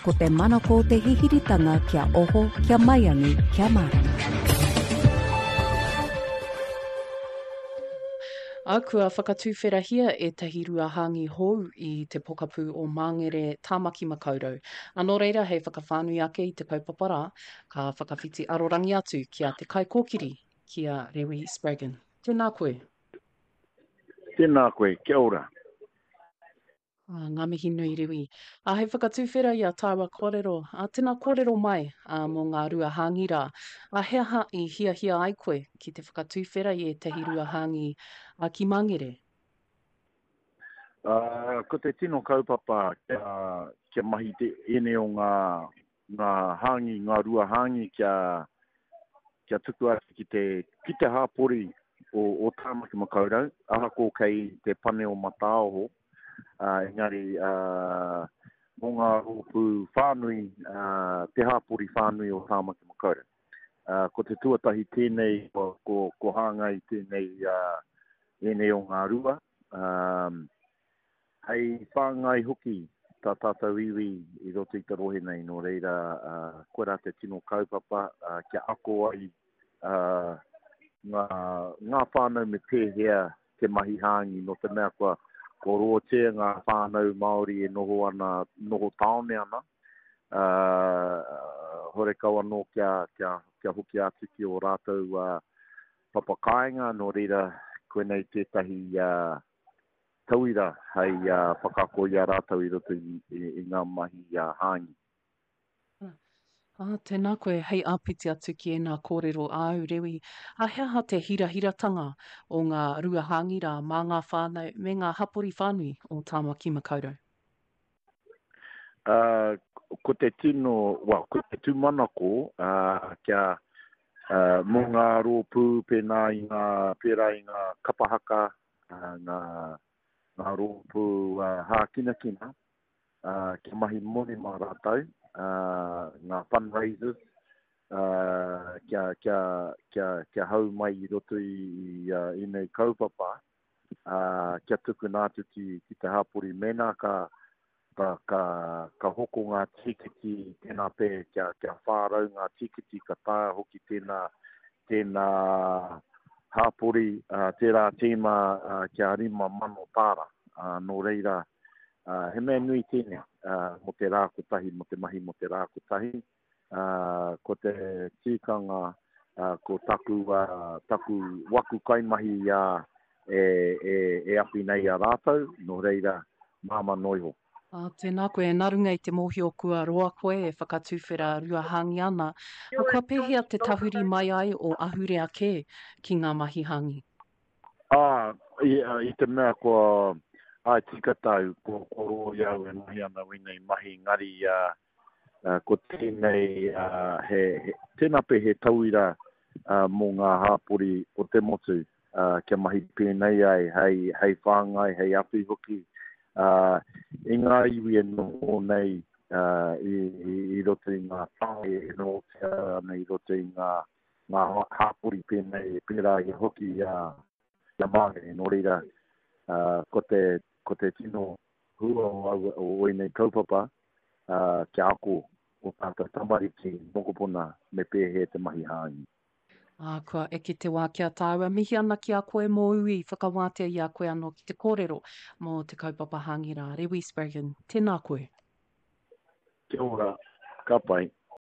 Ko te manako o te hihiritanga kia oho, kia maiangi, kia mārama. Ā, kua whakatuwherahia ētahi ruahāngi hou i te pokapū o Māngere, Tāmaki Makaurau. Ā, nō reira, hei whakawhānui ake i te kaupapa rā, ka whakawhiti arorangi atu ki a te kaikōkiri, ki a Rewi Spraggon. Tēnā koe. Tēnā koe, kia ora. Ā, ngā mihi nui Rewi. Ā, hei whakatuwhera i a tāua kōrero, ā, tēnā kōrero mai, ā, mō ngā rua hāngi rā. Ā, he aha i hiahia ai koe ki te whakatuwhera i ētahi rua hāngi, ā, ki Māngere? Ā, ko te tino kaupapa kia, kia mahi te, ēnei o ngā, ngā hāngi, ngā rua hāngi kia, kia tuku atu ki te, ki te hāpori o, o Tāmaki Makaurau, ahako kei te pane o Mataaoho, ā, engari, ā, mō ngā rōpū whānui, ā, te hāpori whānui o Tāmaki Makaurau. Ā, ko te tuatahi tēnei, ko, ko, ko hāngai tēnei, ā, ēnei o ngā rua, ā, Hei whāngai hoki tā tātou iwi i roto i te rohe nei, nō reira, koirā te tino kaupapa kia ako ai ngā, ngā whānau me pēhea te mahi hāngi, nō te mea kua, kua roatia ngā whānau Māori e noho ana, noho tāone ana, horekau anō kia, kia, kia hoki atu ki ō rātou papa kāinga, nō reira, koinei tētahi tauira hei whakaako i a rātou i roto i ngā mahi hāngi. Ā, tēnā koe, hei āpiti atu ki ēnā kōrero āu, Rewi, ā, he aha te hirahiratanga o ngā rua hāngi rā mā ngā whānau me ngā hapori whānui o Tāmaki Makaurau? Ā, ko te tino, well, ko te tūmanako, ā, kia, ā, mō ngā rōpū pēnā i ngā, pērā i ngā kapa haka, ngā, ngā rōpū hākinakina, kia mahi moni mā rātou, ngā fundraisers, kia, kia, kia, kia hau mai i roto i, i ēnei kaupapa, kia tukuna atu ki, ki te hapori. Mēnā ka, ka, ka, ka hoko ngā tīkiti, tēnā pē, kia, kia 400 ngā tīkiti, ka taea hoki tēnā, tēnā hāpori, uh, tērā tīma uh, kia 5,000 tāra. Uh, nō reira, uh, he mea nui tēnei uh, mō te rā kotahi, mō te mahi mō te rā kotahi. Uh, ko te tīkanga, uh, ko taku, uh, taku waku kaimahi uh, e, e, e awhi nei i a rātou, nō reira, māmā noa iho. Ā, tēnā koe, nā runga i te mōhio kua roa koe e whakatuwhera ruahāngi ana, ā, kua pēhea te tahuri mai ai o ahurea kē ki ngā mahi hāngi? Ā, i, i te mea kua, āe tika tāu, kua, kua roa i au e mahi ana wēnei mahi, engari, ā, ko tēnei, he, he, tēnā pea he tauira mō ngā hāpori o te motu, kia mahi pēnei ai, hei, hei whāngai, hei awhi hoki i ngā iwi e noho nei i, i, i roto i ngā tāone e nohotia ana i roto i ngā, ngā hāpori pēnei, pērā i hoki i a, i a Māngere. Nō reira, ko te, ko te tino hua o, aua, o ēnei kaupapa, ā, kia ako ō tātou tamariki, mokopuna, me pēhea te mahi hāngi. Ā, kua eke te wā ki a tāua. Mihi ana ki a koe mōu i whakawātea i a koe anō ki te kōrero mō te kaupapa hāngi rā. Rewi Spraggon, tēnā koe. Kia ora, ka pai.